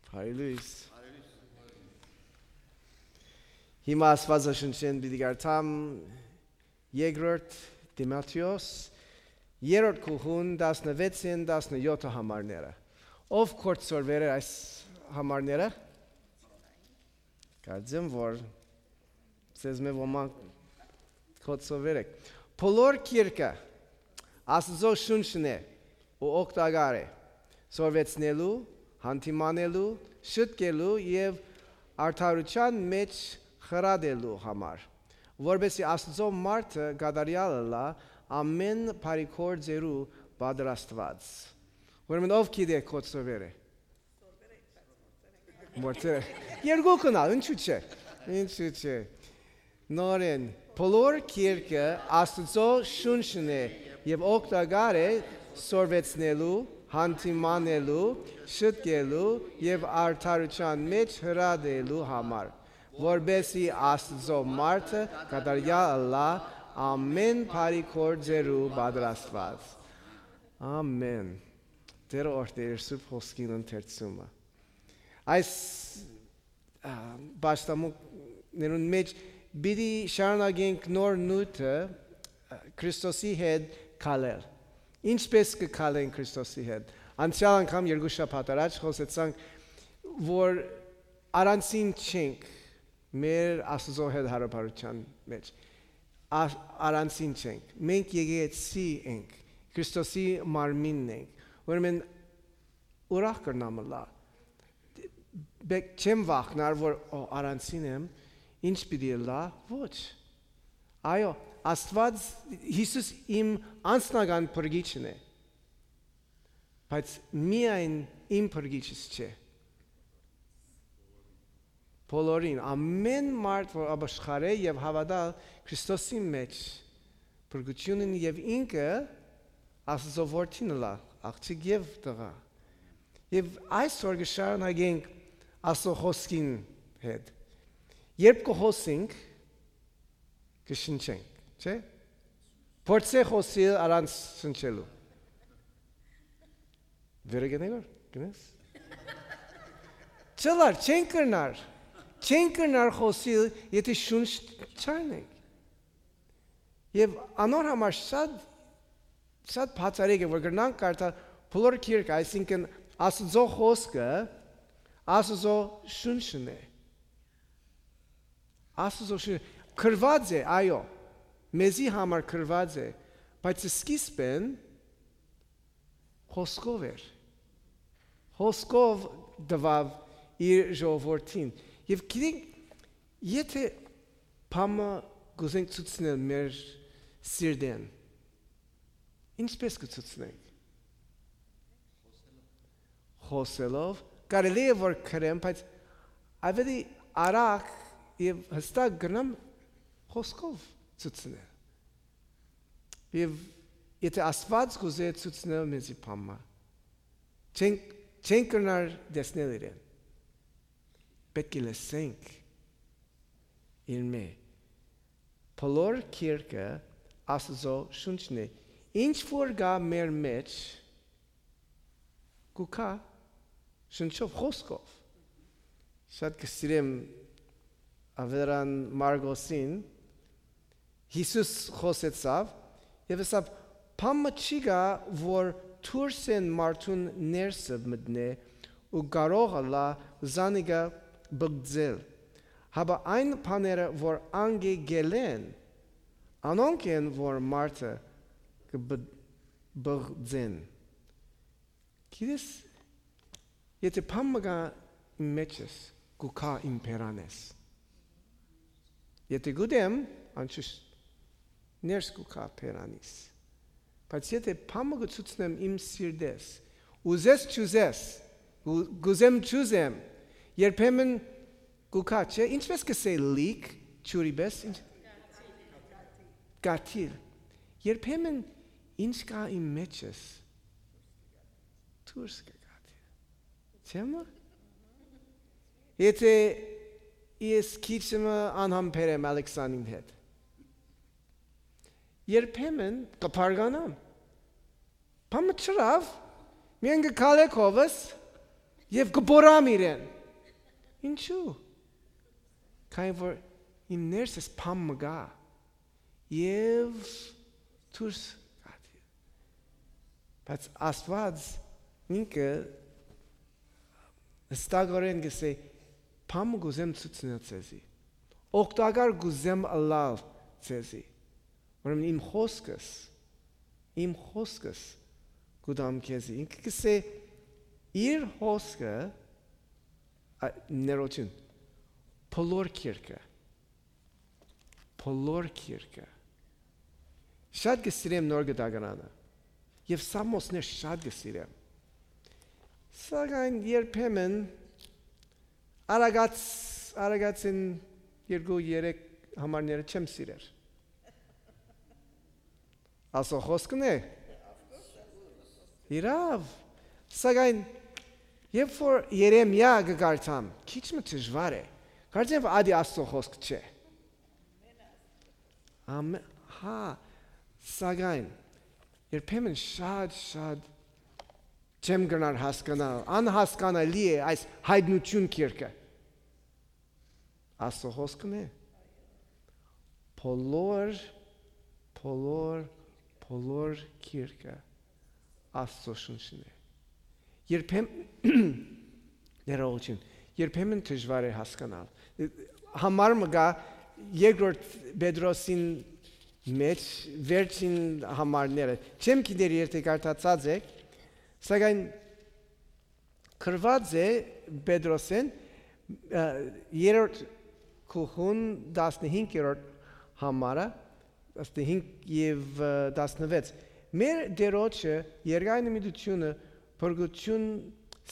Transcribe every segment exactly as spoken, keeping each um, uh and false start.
Բարի լոյս։ Հիմա Աստուածաշունչէն պիտի կարդամ երկրորդ Տիմոթէոս, երրորդ գլխուն, տասնվեցէն տասնեօթ համարները։ Ո՞վ կորցրուեր էր այս համարները։ Կարծեմ, որ ձեզմէ ոմանք կորցրուեր էք։ Բոլոր գիրքը Աստուծոյ շունչն է ու օգտակար է սորվեցնելու, հանդիմանելու, շտկելու եւ արդարութեան մէջ խրատելու համար, որպէս զի Աստուծոյ մարդը կատարեալ ըլլայ, ամէն բարի գործերու պատրաստուած։ Ուրեմն ով գիտէ կորցրուեր է։ Մորցեր է։ Երկուքն ալ, ինչու՞ չէ։ Ինչու՞ չէ։ Նորեն, բոլոր գիրքը Աստուծոյ շունչն է եւ օգտակար է սորվեցնելու, հանդիմանելու, շտկելու եւ արդարութեան մէջ խրատելու համար, որպէս զի Աստուծոյ մարդը կատարեալ ըլլայ, ամէն բարի գործերու պատրաստուած։ Ամէն։ Տէրը օրհնէ իր սուրբ խօսքին ընթերցումը։ Այս, ա, պաշտամունքներուն մէջ պիտի շարունակենք նոր նիւթը, ա, Քրիստոսի հետ քալել։ Ինչպէս կը քալենք Քրիստոսի հետ։ Անցեալ անգամ երկու շաբաթ առաջ խօսեցանք, որ առանցին չենք մեր Աստուծոյ հետ յարաբերութեան մէջ։ Ա-, առանցին չենք։ Մենք եկեղեցի ենք, Քրիստոսի մարմինն ենք։ Ուրեմն ուրախ կրնամ ըլլալ։ Բե-, չեմ վախնար, որ, «Ո, առանցին եմ, ինչ պիտի ըլլայ»։ Ոչ։ Այո, Աստուած, Յիսուս իմ անձնական փրկիչն է, բայց միայն իմ փրկիչս չէ։ Բոլորին, ամէն մարդ, որ ապաշխարէ եւ հաւատալ Քրիստոսի մէջ, փրկութիւնն եւ ինքը Աստուծոյ որդին ըլլայ, աղջիկ եւ տղայ։ Եւ այսօր կը շարունակենք Աստուծոյ խօսքին հետ։ Երբ կը խօսենք, կը շնչենք, չէ՞։ Փորձէ խօսիլ առանց շնչելու։ Վերը գնա որ, գնաս։ Չլար, չեն կրնար, չեն կրնար խօսիլ, եթէ շունչ չառնենք։ Եւ անոր համար շատ, շատ բացառիկ է, որ կրնանք կարդալ բոլոր գիրքը, այսինքն Աստուծոյ խօսքը Աստուծոյ շունչն է։ Աստուծոյ շունչ գրուած է, այո, մեզի համար գրուած է, բայց սկիզբէն խօսքով էր։ Խօսքով տուաւ իր ժողովրդին։ Եւ գիտենք, եթէ բան մը կ'ուզենք ցուցնել մեր սիրտէն, ինչպէս կը ցուցնենք։ Խօսելով, կարելի է որ գրեմ, բայց ավելի արագ եւ հստակ կրնամ խօսքով ցուցնել։ Եւ եթէ Աստուած կ'ուզէ ցուցնել մեզի բան մը, չենք, չենք կրնար տեսնել իրեն։ Պէտք է լսենք իրմէ։ Բոլոր գիրքը Աստուծոյ շունչն է։ Ինչ որ կայ մեր մէջ, կու գայ շունչով, խօսքով։ Շատ կը սիրեմ Ավետարան Մարկոսին, Յիսուս խօսեցաւ եւ ըսաւ. «Բան մը չի գայ, որ դուրսէն մարդուն ներսը մտնէ ու կարող ըլլայ զանիկա բղձել, հապա այն բաները, որ անկէ կ'ելլեն, անոնք են, որ մարդը կը բղ-, բղձեն»։ Գիտես, եթէ բան մը կայ իմ մէջս, կու գայ իմ բերանէս։ Եթէ կ'ուտեմ, անշուշտ ներս կու գայ բերանիս։ Բայց եթէ բան մը կը ցուցնեմ իմ սիրտէս, ուզես չուզես, կու-, կ'ուզեմ չուզեմ, երբեմն կու գայ, չէ՞, ինչպէս կ'ըսէ լիք, ջուրի պէս, ինչ-, կաթիլ։ Երբեմն ինչ կայ իմ մէջս, դուրս կը գայ։ Չէ՞ մը։ Եթէ ես քիչ մը անհամբեր եմ Ալեքսանին հետ, երբեմն կը բարկանամ։ Բան մը չըրաւ, միայն կը քալէ քովս, Եւ կը պորամ իրեն։ Ինչու՞։ Քանի որ իմ ներսս բան մը կայ։ Եւ դուրս կ'ատի։ Բայց Աստուած ինքը հստակորեն կ'ըսէ. «Բան մը կ'ուզեմ ցուցնել ձեզի։ Օգտակար կ'ուզեմ ըլլալ ձեզի։ Ուրեմն իմ խօսքս, իմ խօսքս կու տամ քեզի»։ Ինքը կ'ըսէ. «Իր խօսքը, ա, ներողություն, բոլոր գիրքը, բոլոր գիրքը»։ Շատ կը սիրեմ Նոր Կտակարանը եւ Սաղմոսներ շատ կը սիրեմ։ Սակայն երբեմն Արագած, Արագածին երկու երեք համարները չեմ սիրեր։ Աստուծոյ խօսքն է։ Իրաւ։ Սակայն երբ որ Երեմիա կը կարդամ, քիչ մը դժուար է։ Կարծեմ, որ ադի Աստուծոյ խօսք չէ։ Ամէ-, հա, սակայն երբեմն շատ, շատ չեմ գնար հասկանալ, անհասկանալի է այս հայտնություն գիրքը։ Աստուծոյ խօսքն է։ Բոլոր, բոլոր, բոլոր գիրքը Աստուծոյ շունչն է։ Երբեմն, ներողություն, երբեմն դժուար է հասկանալ։ Համար մը կայ երկրորդ Պետրոսին մեջ վերջին համարները։ Չեմ գիտեր, եթե կարդացած եք, սակայն գրուած է Պետրոսէն, ը, երրորդ գլխուն տասնհինգերորդ համարը, տասնհինգ եւ, ը, տասնվեց. «Մեր Տիրոջը երկայնմտութիւնը փրկութիւն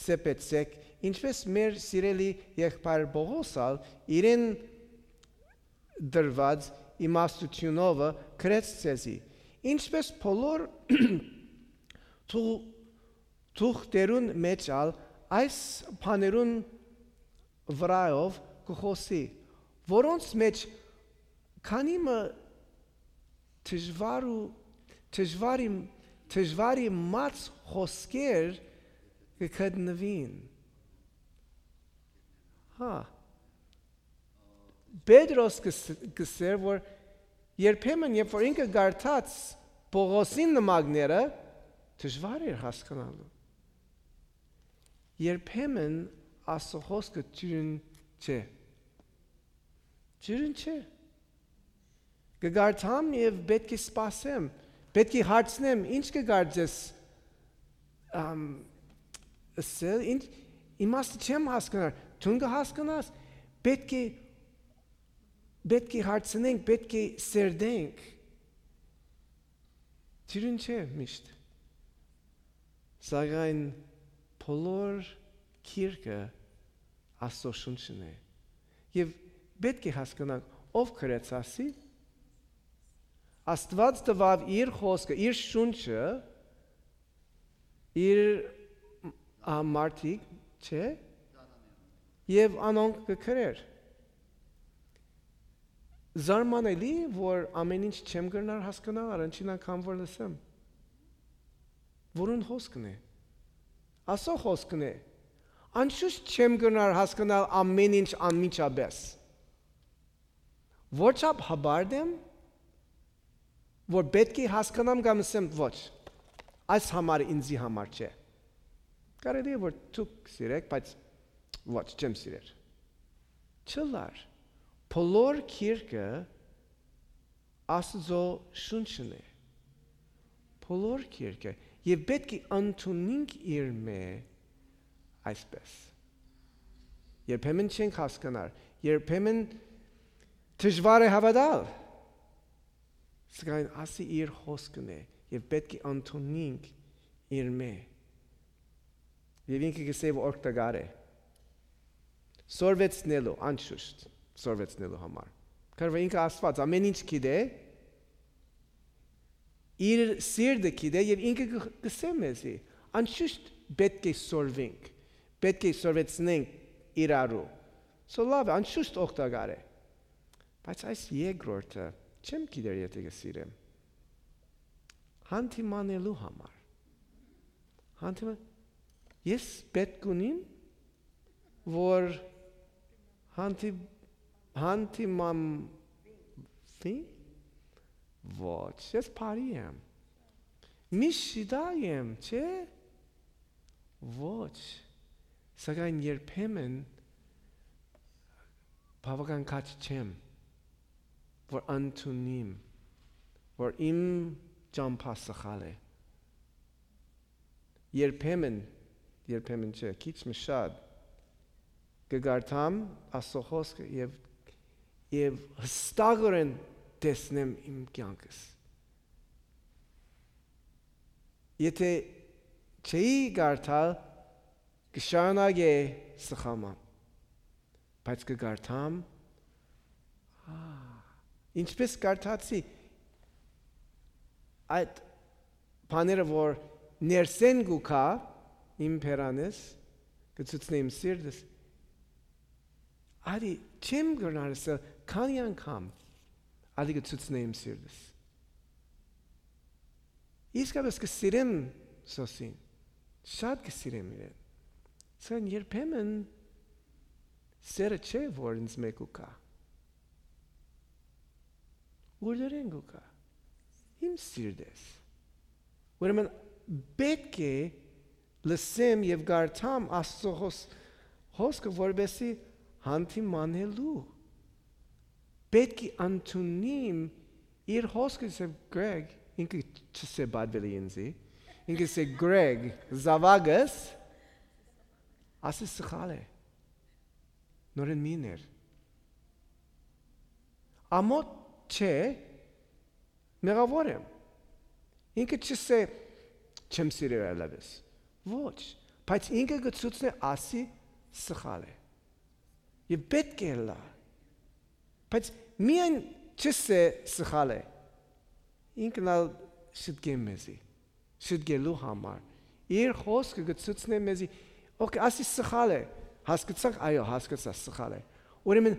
սեպեցէք, ինչպէս մեր սիրելի եղբայր Պողոս ալ իրեն տրուած իմաստութիւնովը գրեց ձեզի, ինչպէս բոլոր թու-, թուղթերուն մեջ ալ այս բաներուն վրայով կը խօսի, որոնց մեջ քանի մը դժուար ու, դժուարի, դժվարի մած խօսքեր կը գտնուին»։ Հա, Պետրոս կս-, կ'ըսէր, որ երբեմն, երբ որ ինքը կարդաց Պողոսին նամակները, դժուար էր հասկանալու։ Երբեմն Աստուծոյ խօսքը ջուրն չէ։ Ջուրն չէ։ Կը կարդամ եւ պէտք է սպասեմ, պէտք է հարցնեմ. «Ի՞նչ կը կարծես, ամ, ըսել, ի՞նչ, իմաստը չեմ հասկնար, դուն կը հասկնաս»։ Պէտք է, պէտք է հարցնենք, պէտք է սերտենք։ Ջուրն չէ միշտ, սակայն բոլոր գիրքը Աստուծոյ շունչն է։ Եւ պէտք է հասկանանք, ով գրեց ասի, Աստուած տուաւ իր խօսքը, իր շունչը, իր, ա, մարդիկ, չէ՞, եւ անոնք կը գրեր։ Զարմանալի, որ ամեն ինչ չեմ կրնար հասկանալ, առաջին անգամ որ լսեմ։ Որուն խօսքն է։ Աստուծոյ խօսքն է։ Անշուշտ չեմ կրնար հասկանալ ամեն ինչ անմիջապես։ Որչափ հպարտ եմ, որ պէտք է հասկանամ կամ ասեմ, «Ոչ, այս համարը ինձի համար չէ»։ Կարելի է, որ դուք սիրեք, բայց ոչ, չեմ սիրեր։ Չլար, բոլոր գիրքը Աստուծոյ շունչն է, բոլոր գիրքը, եւ պէտք է ընդունենք իրմէ այսպես։ Երբեմն չենք հասկանար, երբեմն դժուար է հաւատալ, սակայն ասի իր խօսքն է եւ պէտք է ընդունենք իրմէ։ Եւ ինքը կ'ըսէ, որ օգտակար է սորվեցնելու, անշուշտ, սորվեցնելու համար։ Քանի որ ինքը Աստուած ամեն ինչ գիտէ, իր սիրտը գիտէ եւ ինքը կը, կ'ըսէ մեզի, անշուշտ պէտք է սորվենք, պէտք է սորվեցնենք իրարու։ So լավ է, անշուշտ օգտակար է։ Բայց այս երկրորդը չեմ գիտեր, եթե կը սիրեմ։ Հանդիմանելու համար։ Հանդիման-, ես պէտք ունիմ որ հանդի-, հանդիմանվի՞, ոչ, ես բարի եմ։ Միշտ շիտակ եմ, չէ՞։ Ոչ, սակայն երբեմն բաւական քաջ չեմ, որ ընդունիմ, որ իմ ճամբայ սխալ է։ Երբեմն, երբեմն չէ, քիչ մը շատ, կը կարդամ Աստուծոյ խօսքը եւ, եւ յստակօրէն տեսնեմ իմ կեանքս։ Եթէ չէի կարդալ, կը շարունակէի սխալմը, բայց կը կարդամ, ա, ինչպես կարդացի, այդ բաները, որ ներսէն կու գայ իմ բերանս, կը ցուցնէ իմ սիրտս։ Արի, չեմ կրնար ըսել քանի անգամ, արի կը ցուցնէ իմ սիրտս։ Իսկապէս կը սիրեմ Սոսին, շատ կը սիրեմ իրեն, սակայն երբեմն սերը չէ, որ ինձ մէ կու գայ։ Ուրդերէն կու գայ։ Իմ սիրտս։ Ուրեմն պէտք է լսեմ եւ կարդամ Աստուծոյ խօս-, խօսքը, որպեսզի հանդիմանելու։ Պէտք է ընդունիմ իր խօսքը, սեւ Գրեգ, ինքը չսէ պատուելի ինձի, ինքը սէ Գրեգ, զաւակս, ասի սխալ է, նորեն մի ներ։ Ամոթ չէ, մեղաւոր եմ։ Ինքը չսէ չեմ սիրեր այլեւս։ Ոչ, բայց ինքը կը ցուցնէ, ասի սխալ է։ Եւ պէտք է ըլլայ։ Բայց միայն չսէ սխալ է, ինքն ալ շտկեմ մեզի, շտկելու համար։ Իր խօսքը կը ցուցնէ մեզի, օքէ, ասի սխալ է, հասկացա՞ք, այո, հասկացա, սխալ է։ Ուրեմն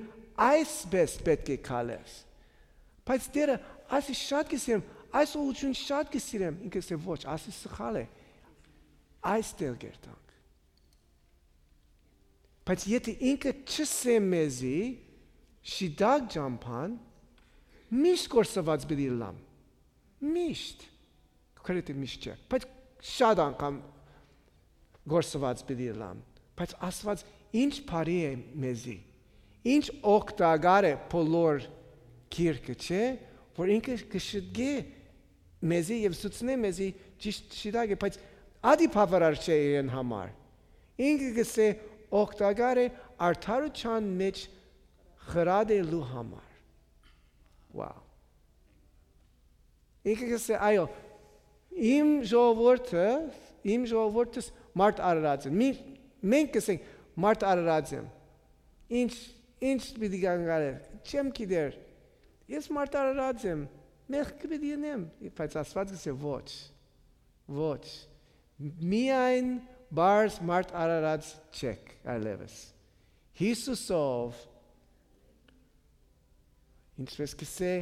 այսպես պէտք է քալես։ Բայց Տէրը, ասի շատ կը սիրեմ, այս ուղղութիւն շատ կը սիրեմ, ինքը սէ ոչ, ասի սխալ է, այս տեղ կերտանք։ Բայց եթէ ինքը չսէ մեզի, շիտակ ճամբան, միշտ կորսուած պիտի ըլլամ, միշտ, քրեթի միշտ չէ, բայց շատ անգամ կորսուած պիտի ըլլամ, բայց Աստուած ինչ բարի է մեզի, ինչ օգտակար է բոլոր գիրքը, չէ՞, որ ինքը կը շտկէ մեզի եւ ցուցնէ մեզի ճիշտ շիտակը, բայց ադի բաւարար չէ իրեն համար։ Ինքը կսէ օգտակար է արդարութեան մէջ խրատելու համար։ Wow։ Ինքը կսէ, այո, իմ ժողովուրդը, իմ ժողովուրդս մարդ արարած են։ Մի, մենք կսենք, մարդ արարած եմ։ Ինչ, ինչ պիտի կանգնարեր, չեմ գիտեր։ Ես մարդ արարած եմ, մեղքը պիտի ընեմ, բայց Աստուած կսէ, ոչ, ոչ, միայն պարզ մարդ արարած չեք այլևս։ Յիսուսով, ինչպես կսէ,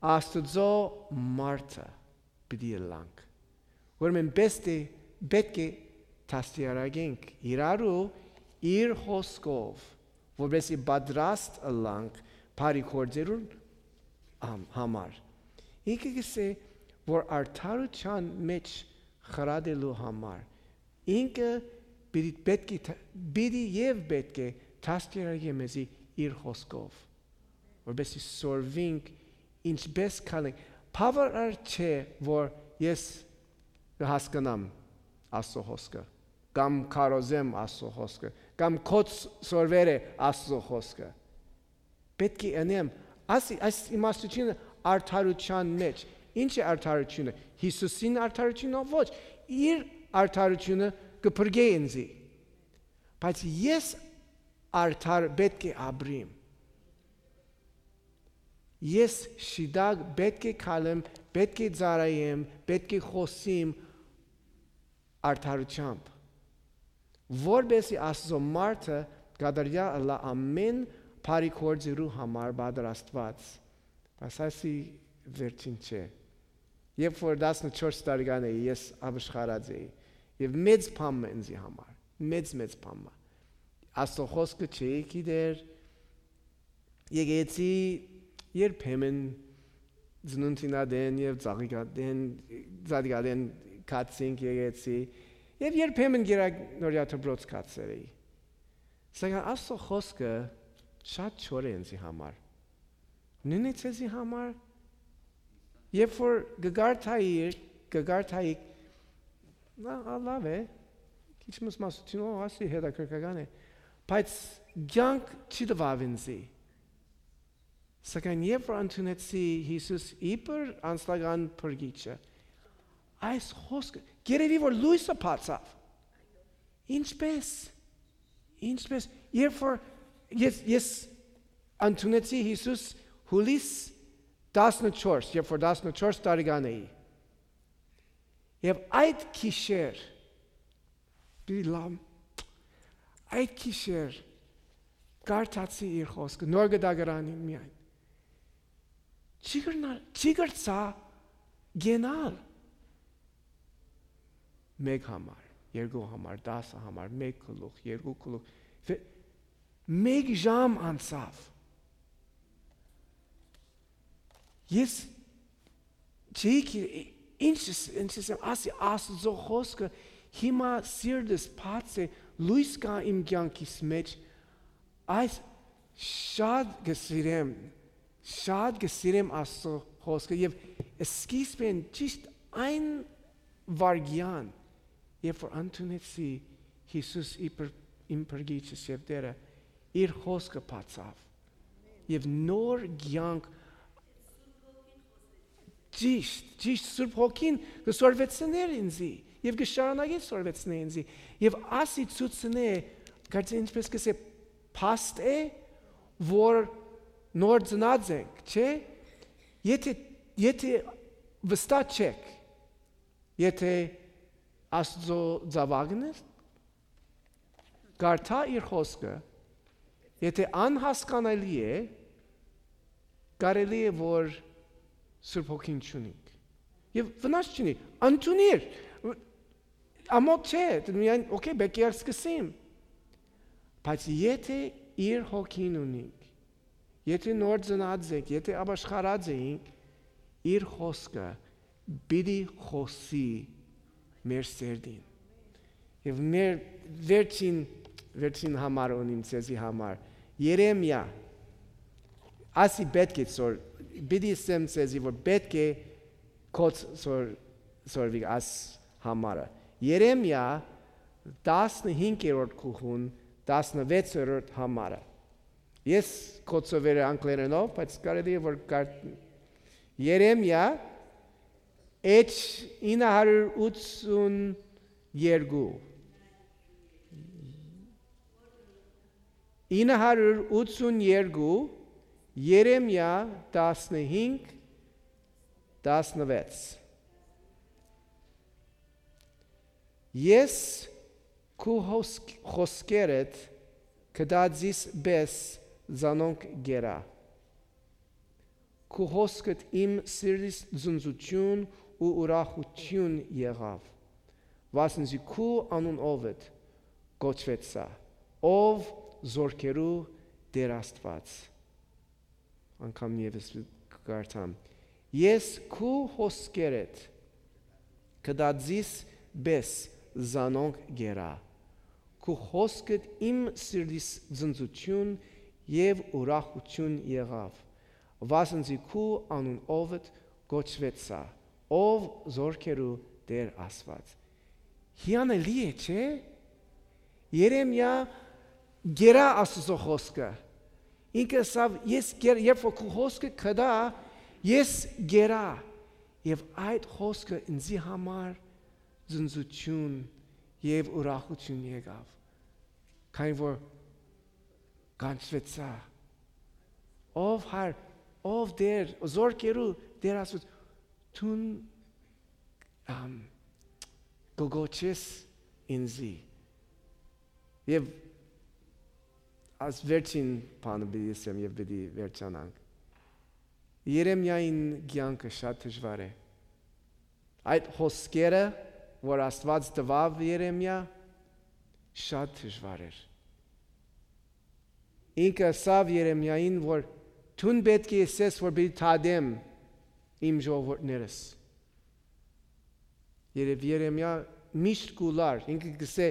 Աստուծոյ մարդը պիտի ըլլանք։ Ուրեմն պէս-, պէտք է դաստիարակենք իրարու իր խօսքով, որպեսզի պատրաստ ըլլանք բարի գործերուն համ-, համար։ Ինքը կսէ, որ արդարութեան մէջ խրատելու համար, ինքը պիտի, պէտք է դ-, պիտի եւ պէտք է դաստիարակէ մեզի իր խօսքով, որպեսզի սորվինք ինչպես քալենք։ Բաւարար չէ, որ ես կը հասկնամ Աստուծոյ խօսքը, կամ քարոզեմ Աստուծոյ խօսքը, կամ քոց սորվեր է Աստուծոյ խօսքը։ Պէտք է ընեմ, այս, այս իմաստութիւնը արդարութեան մէջ։ Ինչ է արդարութիւնը, Յիսուսին արդարութիւնը? Ոչ, իր արդարութիւնը կը փրկէ ինձի, բայց ես արդար պէտք է ապրիմ։ Ես շիտակ պէտք է քալեմ, պէտք է ծառայեմ, պէտք է խօսիմ արդարութեամբ, որպեսզի Աստուծոյ մարդը կատարեալ ըլլայ ամէն բարի գործերու համար պատրաստուած։ Բայց այսի վերջին չէ։ Երբ որ տասնչորս տարեկան էի, ես ապաշխարած էի, եւ մեծ բան մը ինձի համար, մեծ, մեծ բան մը։ Աստուծոյ խօսքը չէի գիտեր, եկեցի երբեմն ծնունդին ատեն եւ ծաղիկատեն, ծաղիկատեն կացինք եկեցի, եւ երբեմն գերակ նորյա դպրոց կացեր էի։ Սակայն Աստուծոյ խօսքը շատ չոր է ինձի համար։ Նույնիսկ ձեզի համար, երբ որ կկարդայի, կկարդայի, լա-, ա, լավ է, քիչ մս մասութիւն, ո, ասի հետաքրքրական է, բայց կյանք չի տուաւ ինձի։ Սակայն երբ որ ընդունեցի Յիսուս իբր անձնական փրկիչը, այս խօսքը, երևի որ լոյսը բացաւ։ Ինչպե՞ս, ինչպե՞ս, երբ որ ես, ես ընդունեցի Յիսուս հուլիս տասնչորս, երբ որ տասնչորս տարեկան էի, եւ այդ գիշեր, պիտի լամ, այդ գիշեր կարդացի իր խօսքը, նոր գտակարանին միայն։ Չի կրնա-, չի կրցայ գնալ։ Մէկ համար, երկու համար, տասը համար, մէկ գլուխ, երկու գլուխ, վե-, մէկ ժամ անցաւ։ Ես չէի գի-, ինչ, ինչ ասեմ, ասի Աստուծոյ խօսքը, հիմա սիրտս բաց է, լոյս կայ իմ կյանքիս մէջ, այս շատ կը սիրեմ, շատ կը սիրեմ Աստուծոյ խօսքը, եւ սկիզբէն ճիշտ այն վայրկեան, երբ որ ընդունեցի Յիսուս իբր իմ փրկիչս եւ Տէրը, իր խօսքը բացաւ, եւ նոր կյանք, ճիշտ, ճիշտ Սուրբ Հոգին կը սորվեցնէր ինձի, եւ կը շարունակէ սորվեցնել ինձի, եւ ասի ցուցնէ, կարծես ինչպես կ'ըսէ, փաստ է, որ նոր ծնած ենք, չէ՞։ Եթէ, եթէ վստահ չէք, եթէ Աստուծոյ զաւակն ես, կարդա իր խօսքը, եթէ անհասկանալի է, կարելի է որ Սուրբ Հոգին չունինք։ Եւ վնաս չունի, ընդունիր, ամոթ չէ, դու միայն, օքեյ, պէտք է սկսեմ։ Բայց եթէ իր Հոգին ունինք, եթէ նոր ծնած ենք, եթէ ապաշխարած էինք, իր խօսքը պիտի խօսի մեր սերտին։ Եւ մեր վերջին, վերջին համար ունիմ ձեզի համար։ Երեմիա, ասի պէտք է սոր-, պիտի ասեմ ձեզի, որ պէտք է կոչ սոր-, սորվի աս համարը։ Երեմիա տասնհինգերորդ գլուխուն, տասնվեցերորդ համարը։ Ես կոչսովեր անգլերենով, բայց կարելի է որ կար-, Երեմիա, էջ ինը հարյուր ութսուն երկու։ Ինը հարյուր ութսուն երկու, Երեմիա տասնհինգ, տասնվեց։ Ես քու հոսք-, խոսքերդ կտածիս պէս զանոնք կերա։ Քու հոսքդ իմ սիրտիս ձնձութիւն ու ուրախութիւն եղաւ, վասն զի քու անունովդ կոչուեցայ, ով զօրքերու Տէր Աստուած։ Անգամ եւս կկարդամ։ Ես քու հոսքերդ կտածիս պէս զանոնք կերա։ Քու հոսքդ իմ սիրտիս ձնձութիւն եւ ուրախութիւն եղաւ, վասն զի քու անունովդ կոչուեցայ, ով զօրքերու Տէր Աստուած։ Հիանալի է, չէ՞։ Երեմիա գերա Աստուծոյ խօսքը։ Ինքը ըսաւ, ես գեր-, երբ որ քու խօսքը կդա, ես գերա։ Եւ այդ խօսքը ինձի համար ձնձութիւն եւ ուրախութիւն եկաւ, քանի որ կանչուեցայ։ Ով Հար, ով Տէր, զօրքերու Տէր Աստուած, դուն, ամ, կը կոչես ինձի։ Եւ աս վերջին բանը պիտի ասեմ եւ պիտի վերջանանք։ Երեմիային կյանքը շատ դժուար է։ Այդ խոսքերը, որ Աստուած տուաւ Երեմիա, շատ դժուար էր։ Ինքը ըսաւ Երեմիային, որ դուն պէտք է ըսես, որ պիտի դատեմ իմ ժողովուրդներս։ Երբ Երեմիա միշտ կու լար, ինքը կսէ,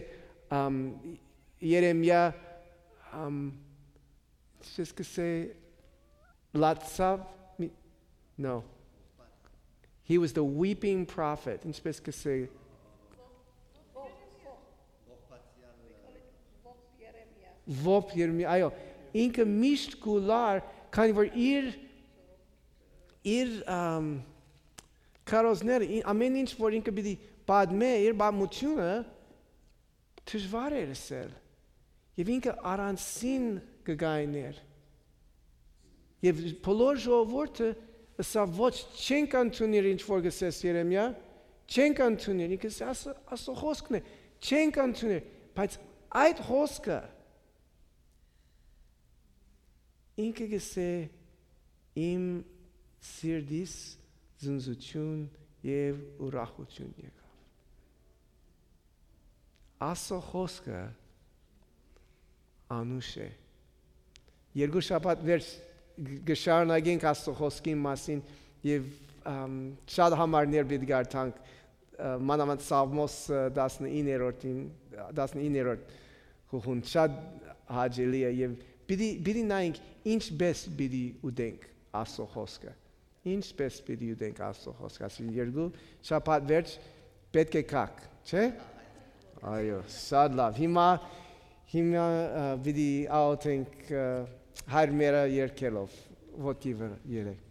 ամ, Երեմիա, ամ, ինչպես կսէ, լացաւ, մի-, no. He was the weeping prophet, ինչպես կսէ, ովփ Երեմիա, այո, ինքը միշտ կու լար, քանի որ իր, իր, ամ, քարոզները, ի-, ամեն ինչ որ ինքը պիտի պատմէ, իր պատմությունը, դժուար էր ըսել։ Եւ ինքը առանցին կը գայներ։ Եւ բոլոր ժողովուրդը ըսաւ. «Ոչ, չենք ընդունիր ինչ որ կսես, Երեմիա, չենք ընդունիր»։ Ինքը ըսաւ. «Ասո, ասո խոսքն է, չենք ընդունիր»։ Բայց այդ խոսքը ինքը կսէ. «Իմ սիրտիս զնզութիւն եւ ուրախութիւն եկաւ»։ Ասո խոսքը անուշ է։ Երկու շաբաթ վերջ գ-, կշարունակենք Աստծո խոսքին մասին եւ, ամ, շատ համարներ պիտի կարդանք, ը, մանաւանդ Սաղմոս, ը, տասնիններորդին, տասնիններորդ խուղուն շատ հաճելի է եւ պիտի, պիտի նայենք ինչպես պիտի ուտենք Աստծո խոսքը։ Ինչպես պիտի ուտենք Աստծո խոսքը։ Ասին երկու շաբաթ վերջ պէտք է գաք, չէ՞։ Այո, շատ լավ։ Հիմա, հիմա, ը, պիտի աղոթենք, ը, Հայր մերը երգելով, ոտքի վրա երեք։